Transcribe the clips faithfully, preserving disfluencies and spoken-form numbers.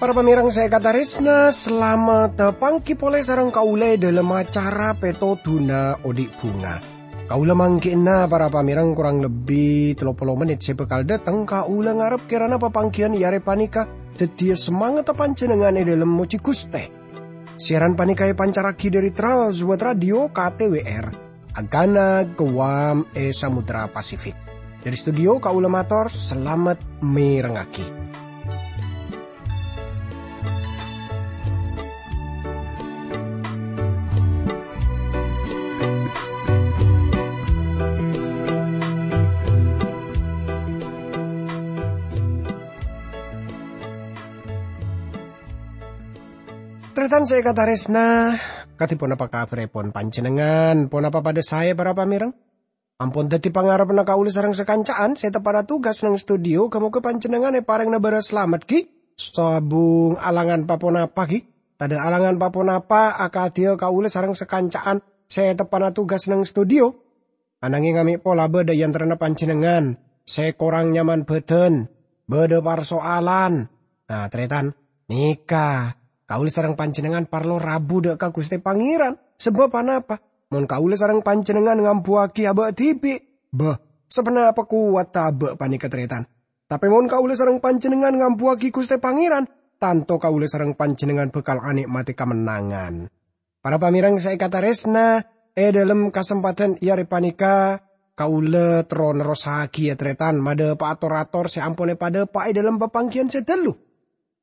Para pamèrèng sè èkatarèsna, salamet pangghi polè sareng kaulâ è dhâlem acara Pètodhuna Odi' Bhunga. Kaulâ mangghi'na, para pamèrèng, korang lebbi tello polo mennit sè bhâkal dâteng, kaulâ ngarep kèrana papangghiyân è arè panèka dhâddhiyâ samangetta panjhennengngan è dhâlem mojhi Ghustè. Siaran panèka èpancarraghi dhâri Trans World Radio K T W R, Agana, Guam, è Samudra Pasifik. Dhâri studio kaulâ mator, salamet mèrengngaghi. Tarètan sè èkatarèsna, kadhi ponapa kabhârèpon panjhennengngan? Ponapa padhâ saè, para pamèrèng? Ampon dhâddhi pangarebbhâ kaulâ sareng sakanca'an sè teppa'na tugas neng studio, ghâ-mogâ panjhennengngan èparèngana bârâs salamet, ghi? Sabung alangan pa-ponapa, ghi? Tadâ' alangan pa-ponapa akadhiyâ kaulâ sareng sakanca'an sè teppa'na tugas neng studio. Ananghing amè' pola bâdâ è antarana panjhennengngan sè korang nyaman bhâdhân, bâdâ parsoalan. Nah, tarètan, nèka, kaulâ sareng panjhennengngan parlo rabu dâ' ka Ghustè Pangèran. Sabâb ponapa? Mon kaulâ sareng panjhennengngan ngambuwâghi abâ' dhibi', bâh, saponapa kowatta abâ' panèka, tarètan? Tapè mon kaulâ sareng panjhennengngan ngambuwâghi Ghustè Pangèran, tanto kaulâ sareng panjhennengngan bhâkal anè'matè kamennangan. Para pamèrèng sè èkatarèsna, è dhâlem kasempadhân è arè panèka, kaulâ terro nerrossaghiyâ, tarètan, madhâpa'a tor-ator sè ampon èpadhâpa'a è dhâlem papangghiyân sè dhâllu.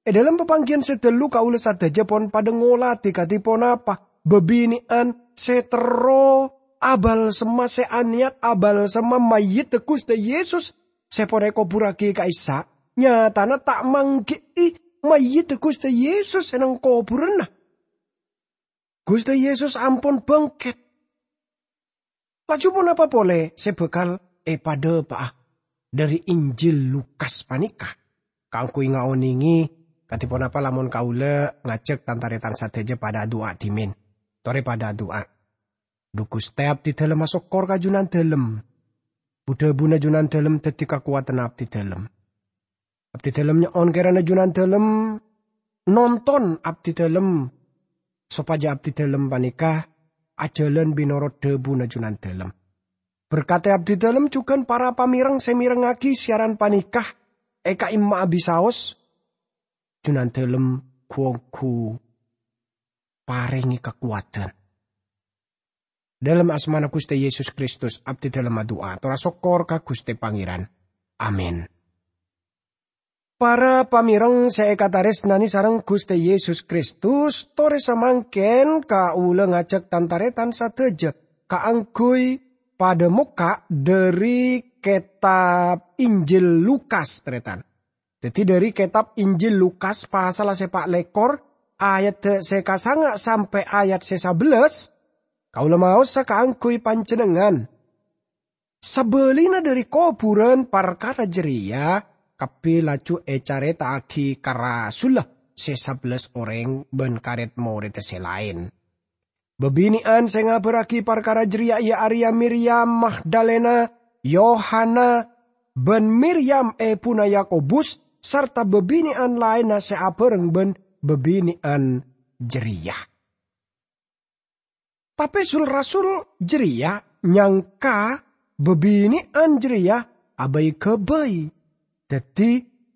È dhâlem papangghiyân sè dhâllu kaulâ sadhâjâ pon padhâ ngolatè kadhi ponapa bâbinè'an sè terro abalsemma, sè anèyat abalsemma mayyiddhâ Ghustè Yesus sè pon èkoburraghi ka'issa', nyatana ta' mangghi'i mayyiddhâ Ghustè Yesus è neng kobhurânna. Ghustè Yesus ampon bângkèt. Laju ponapa polè sè bhâkal èpadhâpa'a dhâri Injil Lukas panèka? Kaangghuy ngaonèngè, kadhi ponapa lamon kaulâ ngajhâk tan-tarètan sadhâjâ padhâ adu'a dhimèn. Torè padhâ adu'a. Dhu Ghustè, abdhidhâlem asokkor ka Junandhâlem. Bu-dhâbuna Junandhâlem dhâddhi kakowadhânna abdhidhâlem. Abdhidhâlem nyo'on kèrana Junandhâlem nonton abdhidhâlem, sopajâ abdhidhâlem panèka ajhâlân mènorot dhâbuna Junandhâlem. Berkadhi abdhidhâlem jhughân para pamèrèng sè mèrengngaghi siaran panèka è ka'imma'a bisaos, Junandhâlem ghu-ongghu parèngè kakowadhân. Dhâlem asmana Ghustè Yesus Kristus, abdhidhâlem adu'a, tor asokkor ka Ghustè Pangèran. Amin. Para pamèrèng sè èkatarèsnanè sareng Ghustè Yesus Kristus, torè samangkèn kaulâ ngajhâk tan-tarètan sadhâjâ kaangghuy padhâ mokka' dhâri kètab Injil Lukas, tarètan. Dhâddhi, dhâri kètab Injil Lukas, pasalla sè pa' lèkor, ayat sè kasanga' sampè' ayat sè sabellâs, kaulâ maosa kaangghuy panjhennengngan. Sabâlina dhâri kobhurân parkara jârèya, kabbhi laju ècarèta'aghi ka rasulla sè sabellâs orèng bân ka rèd-morèdda sè laèn. Bâbinè'an sè ngabârraghi parkara jârèya iyâ arèya Miryam Magdalena, Yohana, bân Miryam èbhuna Yakobus, sarta bâbinè'an laènna sè abhâreng bân bâbinè'an jârèya. Tapè sul-rasul jârèya nyangka bâbinè'an jârèya abâi-ghâbây, dhâddhi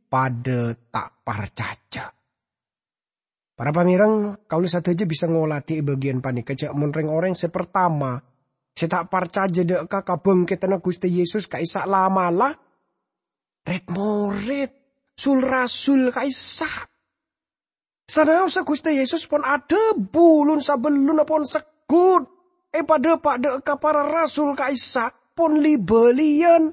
padhâ ta' parcajâ. Para pamèrèng, kaulâ sadhâjâ bisa ngolatè è bâgiyân panèka jhâ' mon rèng-orèng sè partama sè ta' parcajâ dâ' ka kabângkèdhânna Ghustè Yesus ka'issa' la'-mala', rèd-morèd, sul-rasul ka'issa'. Sanaosa Ghustè Yesus pon adhâbu, "Lon sabellunna pon segghut èpadhâpa' dâ' ka para rasul ka'issa', pon li-bâliyân."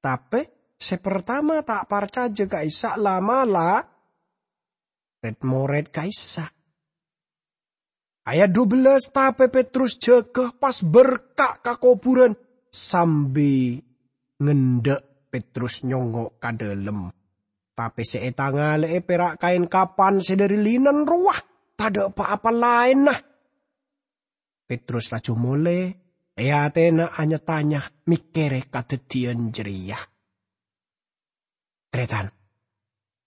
Tapè sè partama ta' parcajâ ka'issa' la'-mala', rèd-morèd ka'issa'. Ayat dubellâs, tapè Petrus jâgâ pas berka' ka kobhurân sambi ngendâ' Petrus nyongngo' ka dhâlem. Tapè sè ètangalè'è pèra' kaèn kapan sè dhâri linen rowa. tadha' pa-apa laènna." Petrus laju molè, è atèna nya-tanya mèkkèrè kadhâddhiyân jârèya. Tarètan,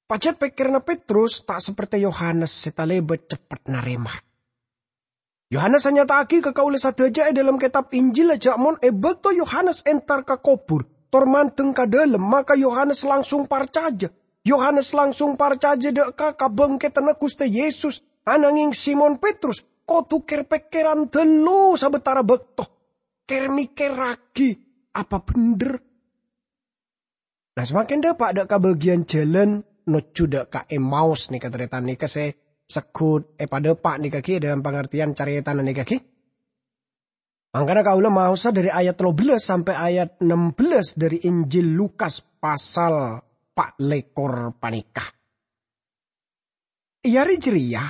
pajhât pèkkèranna Petrus ta' saperte Yohanes sè talèbât ceppet narèma. Yohanes anyata'aghi ka kaulâ sadhâjâ è dhâlem kètab Injil jhâ' mon è bâkto Yohanes entar ka kobhur tor mandeng ka dhâlem, maka Yohanes langsung parcajâ. Yohanes langsung parcajâ dâ' ka kabhângkèdhânna Ghustè Yesus, ananghing Simon Petrus kodhu kèr-pèkkèran ghâllu sabâtara bâkto, kèr-mèkkèrraghi apa bhendher. Nah, samangkèn dâpa' dâ' ka bâgiyân jhâlân nojjhu dâ' ka Emmaus nèka, tarètan, nèka sè segghut èpadâpa' nèka ghi, è dhâlem pangartèyan carètana nèka ghi. Mangkana kaulâ maosa dhâri ayat tello bellâs sampè' ayat nem bellâs dhâri Injil Lukas pasal pa' lèkor panèka. È arè jârèya,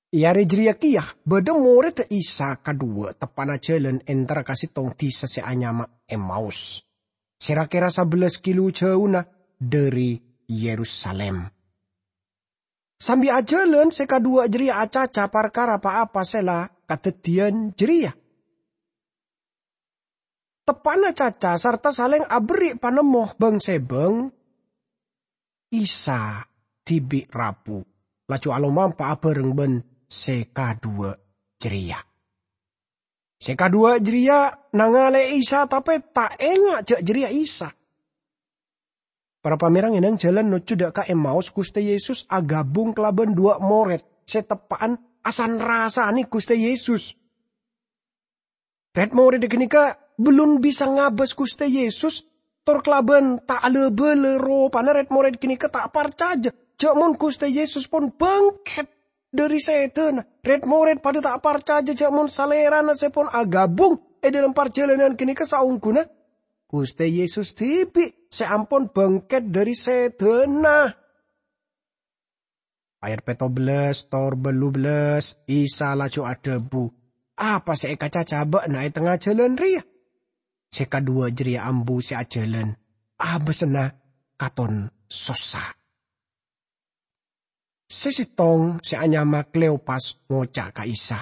è arè jârèya kèya bâdâ morèdda Isa kadhuwâ' teppa'na jhâlân entar ka sèttong dhisa sè anyama Emmaus, sè ra-kèra sabellâs kilo jhâuna dhâri Yerusalim. Sambi ajhâlân, sè kadhuwâ' jârèya acaca parkara pa-apa sè la kadhâddhiyân jârèya. Teppa'na caca sarta salèng aberri' panemmo bhâng-sèbhâng, Isa dhibi' rabu, laju alomampa'â bhâreng bân sè kadhuwâ' jârèya. Sè kadhuwâ' jârèya nangalè'è Isa, tapè ta' enga' jâ' jârèya Isa. Para pamèreng, è nèng jhâlân nojjhu dâ' ka Emmaus, Ghustè Yesus aghâbung kalabân dhuwâ' morèd sè teppa'an asan-rasanè Ghustè Yesus. Rèd-morèdda ghânèka bellun bisa ngabâs Ghustè Yesus, tor kalabân ta' la-bâlâ ropana rèd-morèd ghânèka ta' parcajâ jâ' mon Ghustè Yesus pon bângkèt dhâri sèdhâna. Rèd-morèd padâ ta' parcajâ jâ' mon Salèrana sè pon aghâbung è dhâlem parjhâlânan ghânèka saongghuna Ghustè Yesus dhibi' sè ampon bângkèt dhâri sèdhâna. Ayat pètto bellâs tor bâllu bellâs, Isa laju adhâbu, "Apa sè èkacaca bâ'na è tengnga jhâlân rèya?" Sè kadhuwâ' jârèya ambu sè ajhâlân, abâsna katon sossa. Sè sèttong sè anyama Kleopas ngoca' ka Isa,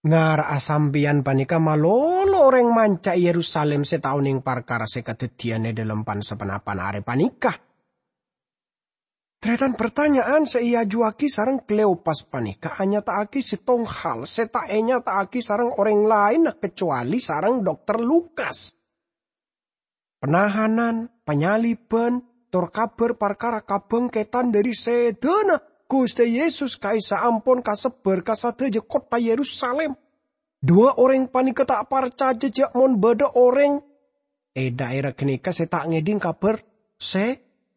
"Ngara'a sampèyan panèka malolo orèng manca è Yerusalim sè ta' onèng parkara sè kadhâddhiyân è dhâlem pan-saponapan arè panèka." Tarètan, partanya'an sè èajuwâghi sareng Kleopas panèka anyata'aghi sèttong hal sè ta' ènyata'aghi sareng orèng laènna kacowalè sareng Dokter Lukas. Penahanan, panyalibhân, tor kabhâr parkara kabângkèdhân dhâri sèdhâna Ghustè Yesus ka'issa' ampon kasebbhâr ka sadhâjâ kottha Yerusalim. Dhuwâ' orèng panèka ta' parcajâ jâ' mon bâdâ orèng è dhaèra ghânèka sè ta' ngèdhing kabhâr sè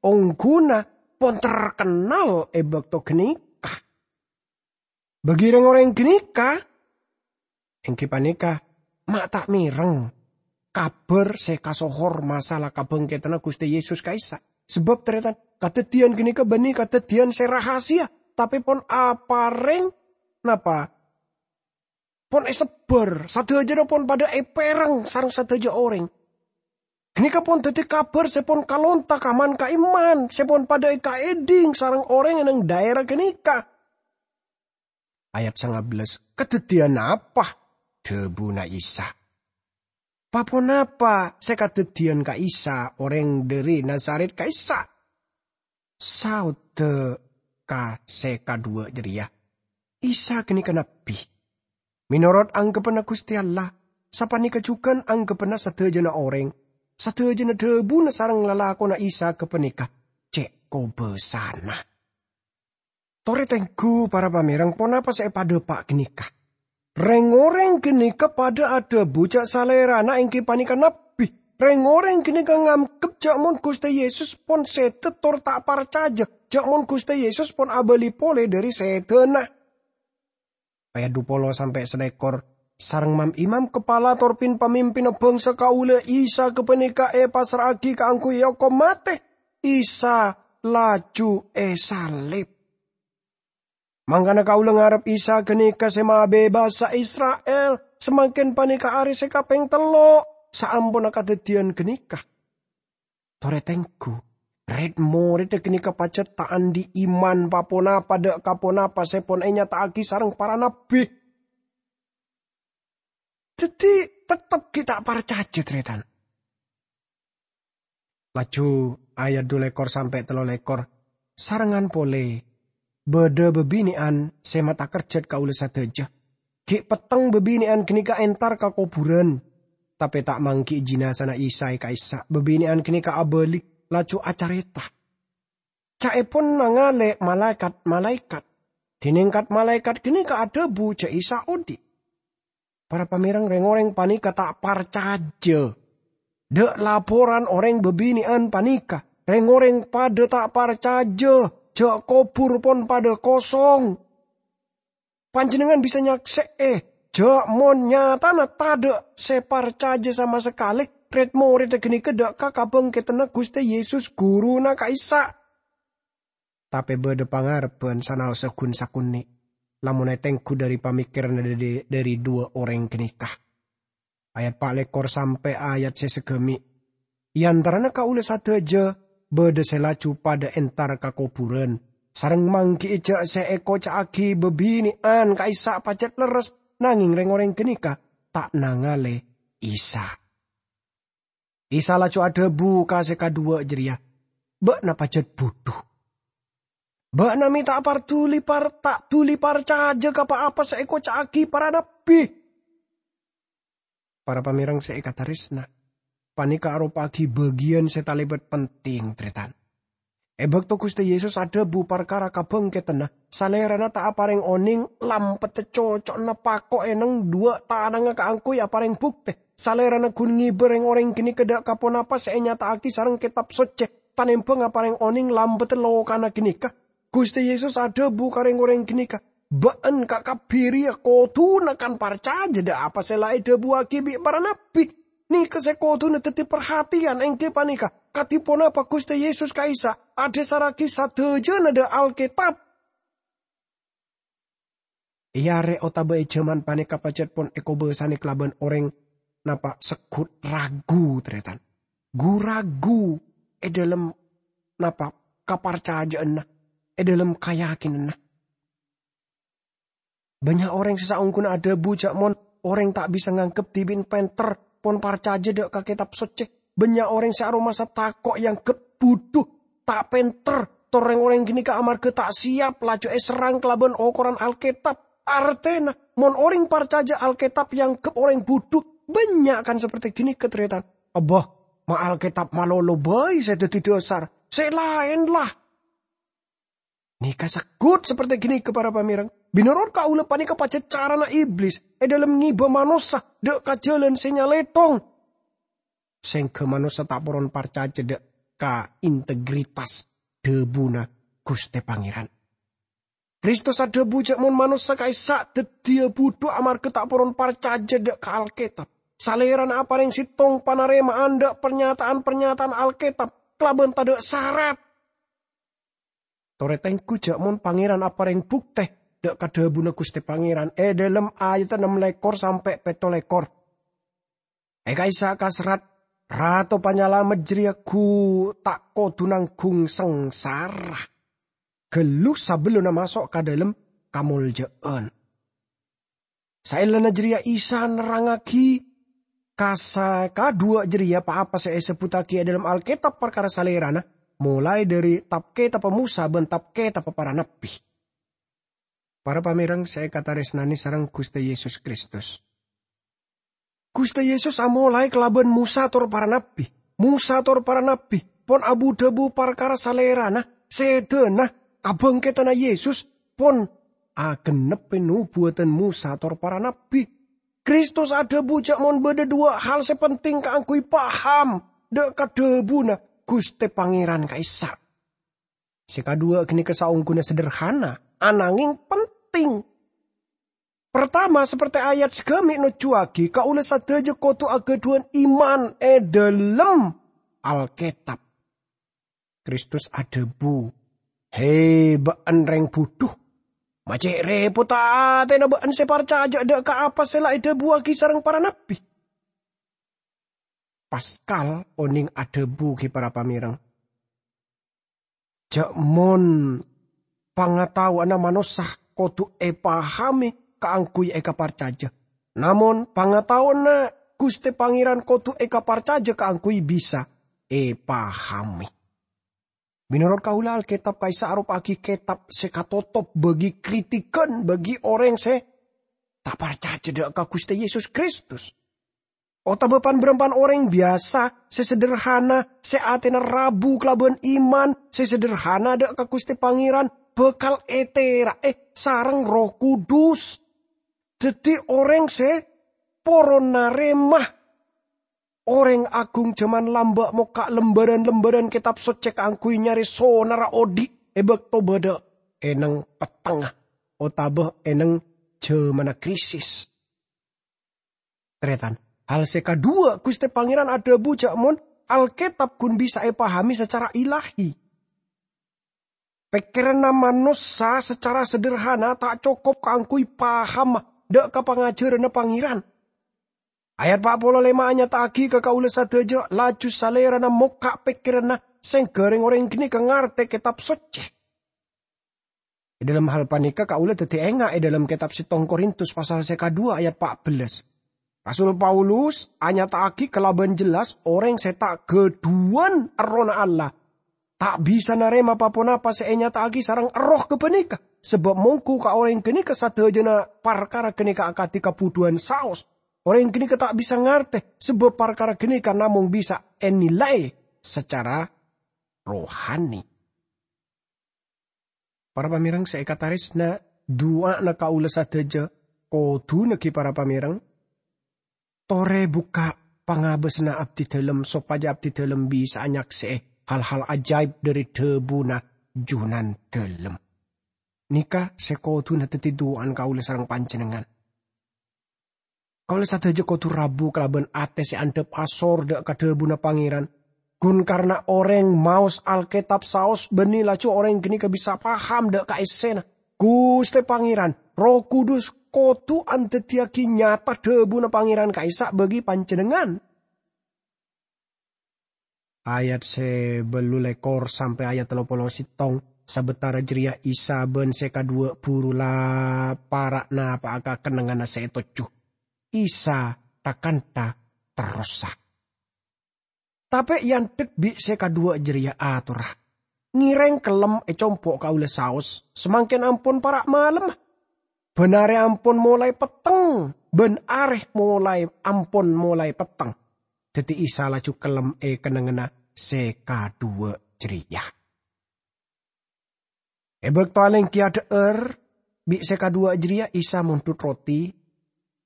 ongghuna pon terkennal è bâkto ghânèka. Bagi rèng-orèng ghânèka, èngghi panèka, ma' ta' mèreng kabhâr sè kasohor masalah kabângkèdhânna Ghustè Yesus ka'issa'. Sabâb, tarètan, kadhâddhiyân ghânèka bânnè kadhâddhiyân sè rahasia, tapè pon aparèng, napa? Pon èsebbhâr, sadhâjâna pon padâ èpèreng sareng sadhâjâ orèng. Ghânèka pon dhâddhi kabhâr sè pon kalonta ka man-ka'imman, sè pon padâ èkaèdhing sareng orèng è nèng dhaèra ghânèka. Ayat sanga bellâs, "Kadhâddhiyân apa?" dhâbuna Isa. "Paponapa sè kadhâddhiyân ka'issa' orèng dhâri Nazaret ka'issa'?" Saodda ka sè kadhuwâ' jârèya, "Isa ghânèka nabbhi. Mènorot anggeppanna Ghustè Allah, sapanèka jhughân anggeppanna sadhâjâna orèng. Sadhâjâna dhâbuna sareng lalakonna Isa ghâpanèka cè' kobâsana." Torè tengghu, para pamèreng, ponapa sè èpadâpa' ghânèka? Rèng-orèng ghânèka padâ adhâbu jâ' Salèrana èngghi panèka nabbhi. Rèng-orèng ghânèka nganggep jâ' mon Ghustè Yesus pon sèdhâ tor ta' parcajâ jâ' mon Ghustè Yesus pon abâli polè dhâri sèdhâna. Ayat dupolo sampè' salèkor, "Sareng mam-imam kapala tor pin-pamimpinna bhângsa kaulâ Isa ghâpanèka èpassra'aghi kaangghuy èokom matè. Isa laju èsalib. Mangkana kaulâ ngarep Isa ghânèka sè mabebasa Isra'il. Samangkèn panèka arè sè kapèng tello' saamponna kadhâddhiyân ghânèka." Torè tengghu, Red-moredda ganeka pajat ta' andhi' iman pa-ponapa dha' ka ponapa se pon enyata'agi sareng para nabbi. Daddi, tettep gi' ta' parcaja, Taretan. Laju ayat dhu lekor sampe' tello lekor, sarengngan pole badha babine'an se matakerjat kaula sadaja. Gi' petteng babine'an ganeka entar ka koburan, tape ta' manggi'i jinazana Isa e ka'issa'. Babine'an ganeka abali, laju acareta. Ca'epon nangale malaekat-malaekat, dineng kat-malaekat ganeka adhabu ja' Isa odhi'. Para pamereng, reng-oreng paneka ta' parcaja dha' laporan oreng babine'an paneka. Reng-oreng padha ta' parcaja ja' kobur pon padha kosong. Panjennengngan bisa nyakse'e ja' mon nyatana tadha' se parcaja sama sakale red-moredda ganeka dha' ka kabangketanna Guste Yesus, Guruna ka'issa'. Tape badha pangarebban sanaosa gun-sakonne' lamon etenggu dhari pamikkeranna dhari, dhari dhuwa oreng ganeka. Ayat pa' lekor sampe' ayat se sagami'. E antarana kaula sadaja badha se laju padha entar ka koburan, sareng manggi'i ja' se ekoca'agi babine'an ka'issa' pajat lerres, nangeng reng-oreng ganeka ta' nangale Isa. Isa laju adhabu ka se kadhuwa jareya, "Ba'na pajat budhu. Ba'na me' ta' parduli par-, ta' duli parcaja ka pa-apa se ekoca'agi para nabbi." Para pamereng se ekataresna, paneka aropa'agi bagiyan se talebat penting, Taretan. E bakto Guste Yesus adhabu parkara kabangketanna, Salerana ta' apareng oneng lampetta coco'na pako' e neng dhuwa' tanangnga kaangguy apareng bukte. Salerana gun ngeba reng-oreng ganeka dha' ka ponapa se enyata'agi sareng Ketab Socce, tanembang apareng oneng lampetta lokana ganeka. Guste Yesus adhabu ka reng-oreng ganeka, "Ba'na ka-, kabbi reya koduna kan parcaja dha' apa se la edhabuwagi bi' para nabbi." Neka se koduna daddi parhatiyan, enggi paneka, kadi ponapa Guste Yesus ka'issa' adhasarragi sadajana dha' Alketab. E are otaba e jaman paneka pajat pon ekobasane kalaban oreng napa seggut ragu, Taretan. Gu-ragu e dhalem napa kaparcaja'anna, e dhalem kayakinanna. Bannya' oreng se saongghuna adhabu ja' mon oreng ta' bisa nganggep dibi'na penter, pon parcaja dha' ka Ketab Socce. Bannya' oreng se aromasa tako' eanggep budhu, ta' penter, tor reng-oreng ganeka amarga ta' siyap laju eserrang kalaban okoran Alketab. Artena, mon oreng parcaja Alketab eanggep oreng budhu, bannya' kan saperte ganeka, Taretan. "Abbah, ma' Alketab malolo bai se daddi dhasar, se laen la." Neka seggut saperte ganeka, para pamereng. Menorot kaula paneka pajat carana Iblis e dhalem ngeba manossa dha' ka jalan se nyalethong. Sengga manossa ta' poron parcaja dha' ka integritas dhabuna Guste Pangeran. Kristus adhabu ja' mon manossa ka'issa' daddiya budhu amarga ta' poron parcaja dha' ka Alketab. Salerana apareng settong panarema'an dha' parnyata'an-parnyata'an Alketab kalaban tadha' sarat. Tore tenggu ja' mon Pangeran apareng bukte dha' ka dhabuna Guste Pangeran e dhalem ayat ennem lekor sampe' petto lekor. E ka'issa' kaserrat, Rato Panyalamet jareya gu ta' kodu nanggung sangsara gallu sabellunna maso' ka dhalem kamolja'an. Saellana jareya Isa nerrangngagi ka se kadhuwa jareya pa-apa se esebbuttagi e dhalem Alketab parkara Salerana, molae dhari Tab-Ketabbhâ Mosa ban Tab-Ketabbhâ Para Nabbi. Para pamereng se ekataresnane sareng Guste Yesus Kristus. Guste Yesus amolae kalaban Mosa tor para nabbi. Mosa tor para nabbi pon abu-dhabu parkara Salerana, sedana, kabangketanna Yesus pon agenneppe nobuwatan Mosa tor para nabbi. Kristus adhabu ja' mon badha dhuwa' hal se penting kaangguy paham dha' ka dhabuna Guste Pangeran ka'issa'. Se kadhuwa ganeka saongguna sederhana, anangeng penting. Partama, saperte ayat sagami' nojjuwagi, kaula sadaja kodu agadhuwan iman e dhalem Alketab. Kristus adhabu, "He, ba'en reng budhu! Ma' ce' repotta atena ba'en se parcaja dha' ka apa se la edhabuwagi sareng para nabbi." Paskal oneng adhabu gi para pamereng. ja' mon pangataowanna manossa kodhu epahame kaangguy ekaparcaja, namon pangataowanna Guste Pangeran kodhu ekaparcaja kaangguy bisa epahame. Menorot kaula, Alketab ka'issa' aropa'agi ketab se katotop bagi kritikan bagi oreng se ta' parcaja dha' ka Guste Yesus Kristus. Otaba pan-barampan oreng biyasa se sederhana, se atena rabu kalaban iman, se sederhana dha' ka Guste Pangeran, bakal etera'e sareng Erroh Kudus. Daddi oreng se poron narema oreng agung jaman lamba' mokka' lembaran-lembaran Ketab Socce kaangguy nyare sonarra odhi' e bakto badha e neng pettengnga otaba e neng jamanna krisis. Taretan, hal se kadhuwa, Guste Pangeran adhabu ja' mon Alketab gun bisa epahame sacara ilahi. Pekkeranna manossa sacara sederhana ta' cokop kaangguy paham dha' ka pangajaranna Pangeran. Ayat pa' polo lema anyata'agi ka kaula sadaja, laju Salerana mokka' pekkeranna sengga reng-oreng ganeka ngarte Ketab Socce. E dhalem hal paneka kaula daddi enga' e dhalem Ketab Settong Korintus pasal se kadhuwa ayat pa' bellas. Rasul Paulus anyata'agi kalaban jelas oreng se ta' gadhuwan Errohna Allah ta' bisa narema pa-ponapa se enyata'agi sareng Erroh gapaneka, sabab mongghu ka oreng ganeka sadajana parkara ganeka akadi kabudhuwan saos. Oreng ganeka ta' bisa ngarte, sabab parkara ganeka namong bisa enilai sacara rohani. Para pamereng se ekataresna, du'ana kaula sadaja kodhuna gi para pamereng, tore bukka' pangabasanna abdidalem sopaja abdidalem bisa'a nyakse'e hal-hal ajaib dhari dhabuna Junandalem. Neka se kodhuna daddi du'ana kaula sareng panjennengngan. Kaula sadaja kodhu rabu kalaban ate se andhap asor dha' ka dhabuna Pangeran. Gun karna oreng maos Alketab saos banne laju oreng ganeka bisa paham dha' ka essena. Guste Pangeran, Erroh Kudus kodhu andaddiyagi nyata dhabuna Pangeran ka'issa' bagi panjennengngan. Ayat se ballu lekor sampe' ayat tello polo settong. Sabatara jareya Isa ban se kadhuwa buru la para' napa'a ka kennengnganna se etojju. Isa tha-kantha terrosa. Tape e andhek bi' se kadhuwa jareya atorra, "Ngereng kellem e compo' kaula saos, samangken ampon para' malemma. Ban are ampon molae petteng, ban are molae ampon molae petteng." Daddi Isa laju kellem e kennengnganna se kadhuwa jareya. E bakto alenggi adha'ar bi' se kadhuwa jareya, Isa mondhut roti,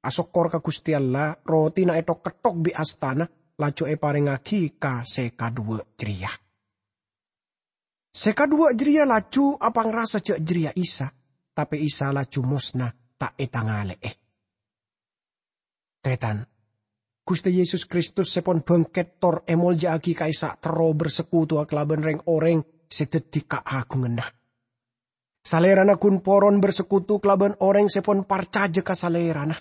asokkor ka Guste Allah, rotina ethok-ketthok bi' astana, laju eparengngagi ka se kadhuwa jareya. Se kadhuwa jareya laju apangrasa ja' jareya Isa, tape Isa laju mosna ta' etangale'e. Taretan, Guste Yesus Kristus se pon bangket tor emolja'agi ka'issa' terro bersekutuwa kalaban reng-oreng se daddi kaagunganna. Salerana gun poron bersekutu kalaban oreng se pon parcaja ka Salerana.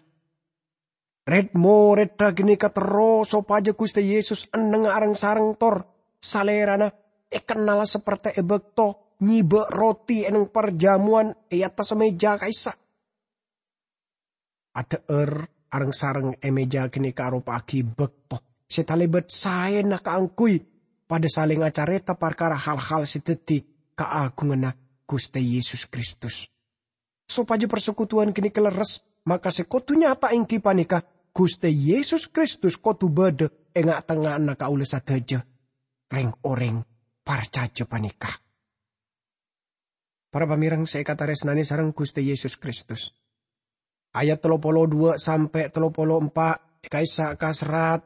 Red-moredda ganeka terro sopaja Guste Yesus ennengnga areng-sareng tor Salerana ekennala saperte e bakto nyeba roti e neng parjamowan e attassa meja ka'issa'. Adha'ar areng-sareng e meja ganeka aropa'agi bakto se talebat saena kaangguy padha saleng acareta parkara hal-hal se daddi kaagunganna Guste Yesus Kristus. Sopaja parsekutuwan ganeka lerres, maka se kodu nyata enggi paneka Guste Yesus Kristus kodu badha e nga'-tengnga'anna kaula sadaja, reng-oreng parcaja paneka. Para pamereng se ekataresnane sareng Guste Yesus Kristus. Ayat tello polo dhuwa' sampe' tello polo empa' ka'issa' kaserrat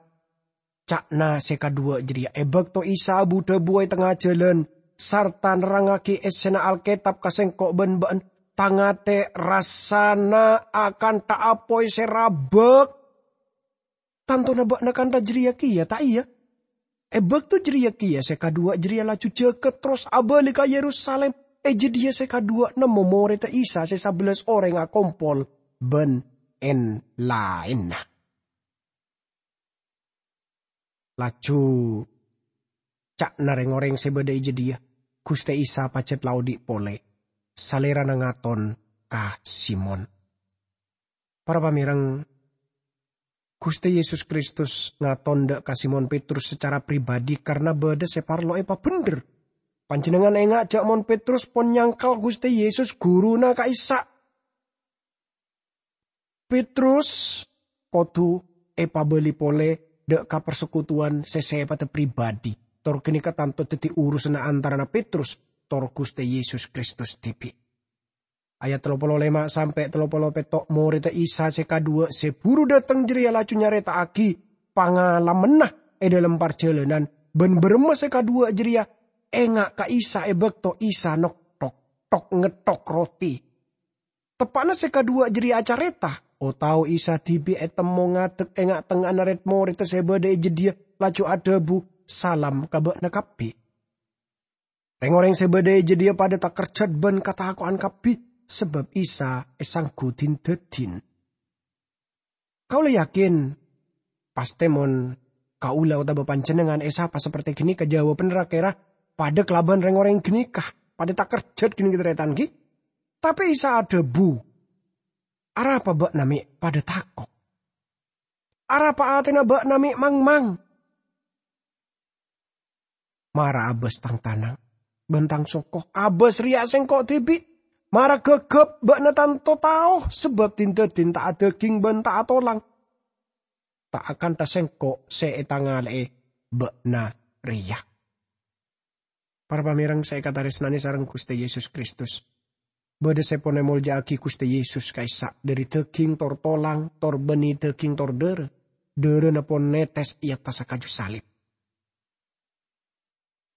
ca'na se kadhuwa jareya. E bakto Isa abu-dhabuwa e tengnga jalan sarta nerrangngagi essena Alketab ka sengko' ban ba'na, tang ate rassana akantha apoy se rabak. Tantona ba'na kantha jareya keya, ta' iya? E bakto jareya keya se kadhuwa jareya laju jaga terros abali ka Yerusalim. E jadhiya se kadhuwa nemmo moredda Isa se sabellas oreng akompol ban en-laenna. Laju ca'na reng-oreng se badha e jadhiya, Ghustè Isa pajhât la odi' polè. Salèrana ngaton ka Simon. Para pamèrèng, Ghustè Yesus Kristus ngaton dâ' ka Simon Petrus sacara pribadi karna bâdâ sè parlo èpabhendher. Panjhennengngan enga' jâ' mon Petrus pon nyangkal Ghustè Yesus, ghuruna ka'issa'. Petrus kodhu èpabâli polè dâ' ka parsekutuwan sè sèpadhâ pribadi. Tor ghânèka tanto dhâddhi urusanna antarana Petrus tor Ghustè Yesus Kristus dhibi'. Ayat tello polo lèma sampè' tello polo pètto', morèdda Isa sè kaduwâ' sè buru dâteng jârèya laju nyarèta'aghi pangalamanna è dâlem parjhâlânan, bân bârâmma sè kaduwâ' jârèya enga' ka Isa è bâkto Isa nokthok, thok-ngetthok roti. Teppa'na sè kaduwâ' jârèya acarèta, o-tao Isa dhibi' ètemmo ngadek è nga'-tengnga'anna rèd-morèdda sè bâdâ è jâdiyâ, laju adhâbu, "Salam ka bâ'na kabbhi." Rèng-orèng sè bâdâ è jâdiyâ padhâ takerjhât bân katako'an kabbhi, sabâb Isa èsangghu din-dâdin. Kaulâ yakin, pastè mon kaulâ otabâ panjhennengngan èsapa sapertè ghânèka, jâwâbhânna ra-kèra padhâ kalabân rèng-orèng ghânèka, padhâ takerjhât ghânèka tarètan, ghi? Tapè Isa adhâbu, "Arapa bâ'na mè' padhâ tako'? Arapa atèna bâ'na mè' mangmang? Mara abâs tang tanang bân tang soko. Abâs rèya Sèngko' dhibi'. Mara ghâghâp, bâ'na tanto tao, sabâb din-dâdin ta' adâging bân ta' atolang. Ta' akantha Sèngko' sè ètangalè'è bâ'na rèya." Para pamèrèng sè èkatarèsnanè sareng Ghustè Yesus Kristus, bâdâ sè pon èmolja'aghi Ghustè Yesus ka'issa' dâri dâging tor tolang, tor bânnè dâging tor dârâ. Dârâna pon nètès è attassa kaju salib.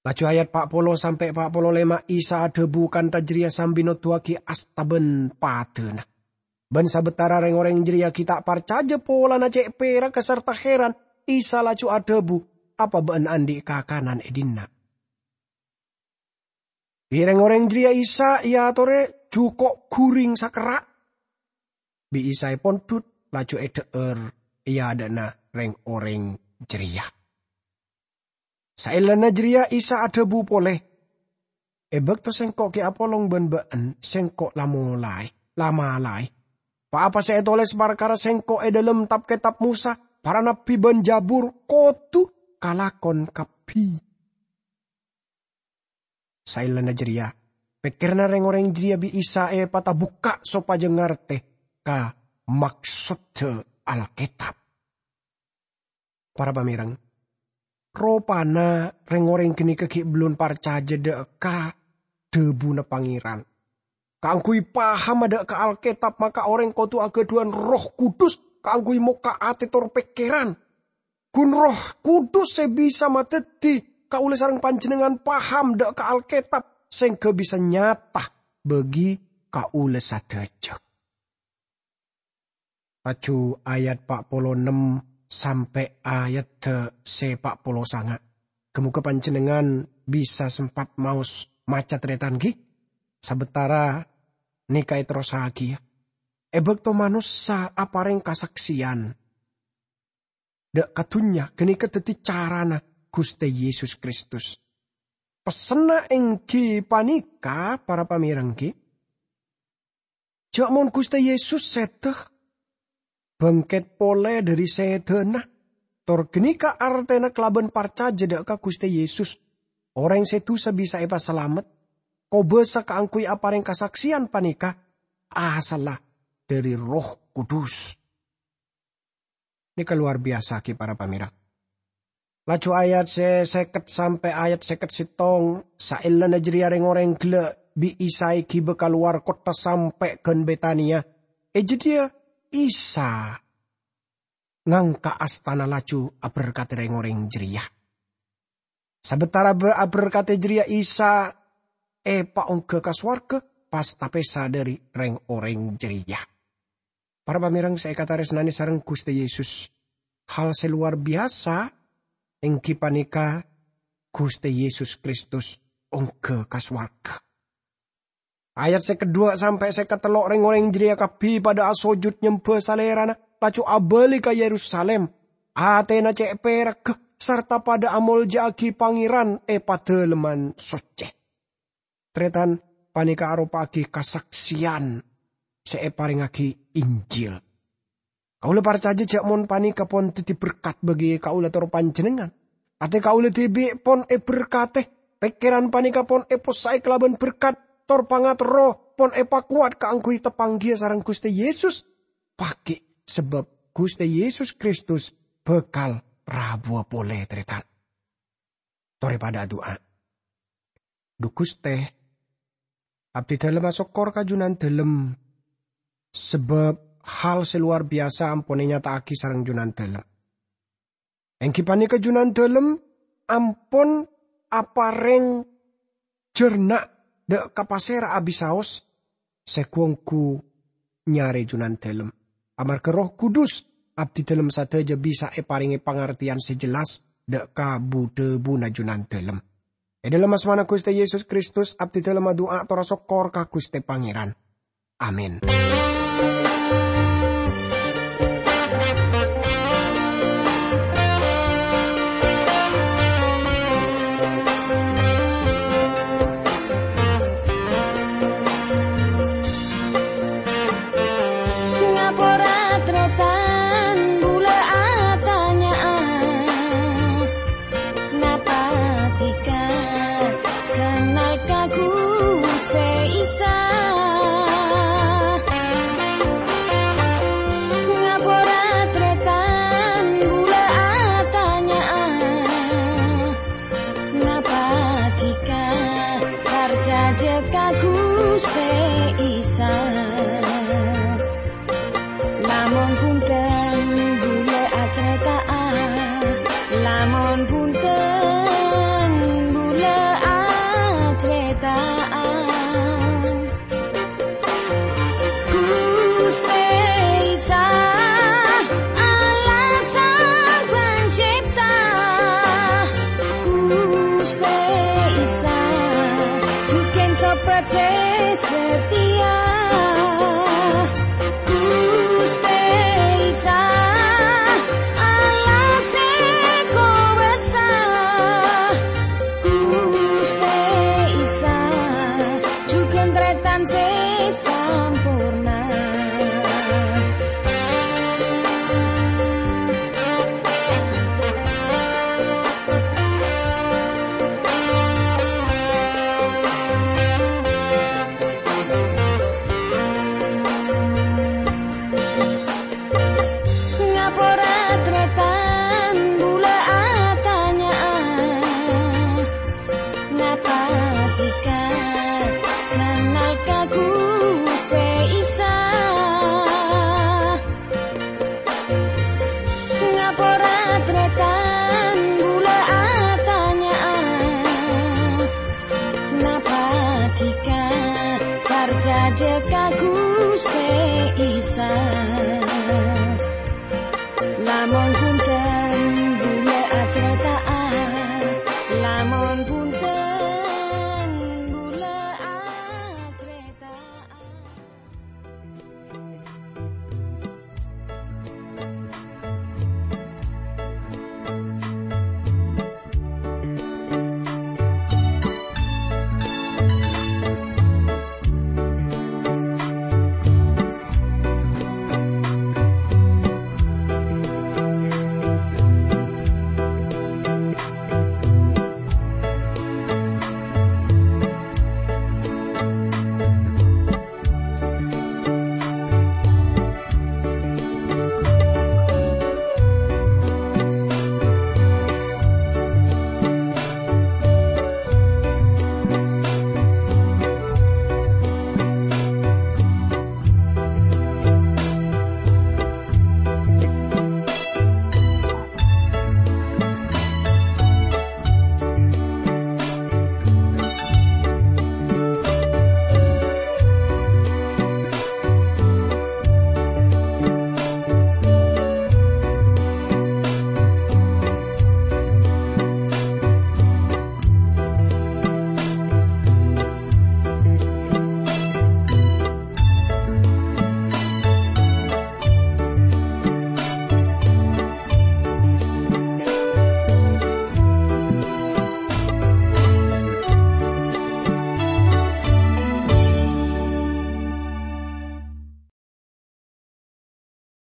Laju ayat pa' polo sampè' pa' polo lèma', Isa adhâbu kantha jârèya sambi noduwâghi asta bân padâna. Bân sabâtara rèng-orèng jârèya ghi' ta' parcajâ polana cè' pèragghâ sarta hèran, Isa laju adhâbu, "Apa bâ'na andi' kakanan è dinna'?" Bi' rèng-orèng jârèya Isa èatorè jhuko' ghuring sakerra'. Bi' Isa èpondhut, laju èdhâ'âr è adâ'na rèng-orèng jârèya. Saellana jârèya Isa adhâbu polè, "È bâkto Sèngko' ghi' apolong bân bâ'na, Sèngko' la molaè, la malaè. Pa-apa sè ètolès parkara Sèngko' è dâlem Tab-Kètab Mosa, para nabbhi bân Jâbur kodhu kalakon kabbhi." Saellana jârèya, pèkkèranna rèng-orèng jârèya bi' Isa èpatabukka' sopajâ ngartè ka maksodda Alkètab. Para pamèrèng, ropana rèng-orèng ghânèka ghi' bellun parcajâ dâ' ka dhâbuna Pangèran. Kaangghuy paham dâ' ka Alkètab, maka orèng kodhu aghâdhuwân Erroh Kudus kaangghuy mokka' atè tor pèkkèran. Ghun Erroh Kudus sè bisa madhâddhi kaulâ sareng panjhennengngan paham dâ' ka Alkètab, sèngghâ bisa nyata bagi kaulâ sadhâjâ. Laju ayat pa' polo ennem sampè' ayadda sè pa' polo sanga'. Ghâ-mogâ panjhennengngan bisa sempat maos maca tarètan, ghi? Sabâtara nèka èterrossaghiyâ. È bâkto manossa aparèng kasaksèyan dâ' ka dhunnya, ghânèka dhâddhi carana Ghustè Yesus Kristus. Pessenna èngghi panèka, para pamèrèng, ghi? Jhâ' mon Ghustè Yesus sèdhâ, bângkèt polè dhâri sèdhâna, tor ghânèka artèna kalabân parcajâ dâ' ka Ghustè Yesus, orèng sè dusa bisa èpasalamet. Kobâsa kaangghuy aparèng kasaksèyan panèka asalla dhâri Erroh Kudus. Nèka lowar biyasa ghi, para pamèrèng. Laju ayat sè sèket sampè' ayat sèket sèttong, saellana jârèya rèng-orèng ghellâ' bi' Isa èghibâ kalowar kottha sampè' ghân Betania. È jâdiyâ Isa ngangka' astana laju aberkadhi rèng-orèng jârèya. Sabâtara bâ-, aberkadhi jârèya Isa èpaongghâ ka sowarghâ, pas tapèsa dhâri rèng-orèng jârèya. Para pamèrèng sè èkatarèsnanè sareng Ghustè Yesus, hal sè lowar biyasa èngghi panèka Ghustè Yesus Kristus ongghâ ka sowarghâ. Ayat sè kedduwâ' sampè' sè katello', rèng-orèng jârèya kabbhi padâ asojud nyembhâ Salèrana, laju abâli ka Yerusalim. Atèna cè' pèragghâ, sarta padâ amolja'aghi Pangèran è Padalemman Soccè. tarètan, panèka aropa'aghi kasakseyan sè èparèngngaghi Injil. Kaulâ parcajâ jhâ' mon panèka pon dhâddhi berkat bagi kaulâ tor panjhennengngan. Atè kaulâ dhibi' pon èberkadhi, pèkkèran panèka pon èpossa'è kalabân berkat, tor pangaterro pon èpakowat kaangghuy tapangghiyâ sareng Ghustè Yesus. Pagghi', sabâb Ghustè Yesus Kristus bhâkal rabuwâ polè, tarètan. Torè padhâ adu'a. Dhu Ghustè, abdhi dhâlem asokkor ka Jhunandhâlem, sabâb hal sè lowar biyasa ampon ènyata'aghi sareng Jhunandhâlem. Èngghi panèka Jhunandhâlem ampon aparèng jhârna' dâ' ka pasèra abisaos sè ghu-ongghu nyarè Jhunandhâlem. Amarghâ Erroh Kudus, abdhi dhâlem sadhâjâ bisa èparèngè pangartèyan sè jelas dâ' ka bu-dhâbuna Jhunandhâlem. È dhâlem asmana Ghustè Yesus Kristus, abdhi dhâlem adu'a tor asokkor ka Ghustè Pangèran. Amin. Ngapora tarètan bulâ atanya'a, napa dhika kennal ka Ghustè Isa? Ngapora tarètan bulâ atanya'a, napa dhika parcajâ ka Ghustè Isa? Lamon bhunten bulâ acarèta'a, lamon bhunten bulâ acarèta'a. Ghustè Isa, Allah Sang Pancipta. Ghustè Isa, jhughân Sobat sè satèya. Ghustè Isa, Allah sè kobâsa. Ghustè Isa, jhughân tarètan sè samporna. Ngapora tarètan bulâ atanya'a, napa dhika kennal ka Ghustè Isa? Ngapora tarètan bulâ atanya'a, napa dhika parcajâ ka Ghustè Isa? Lamon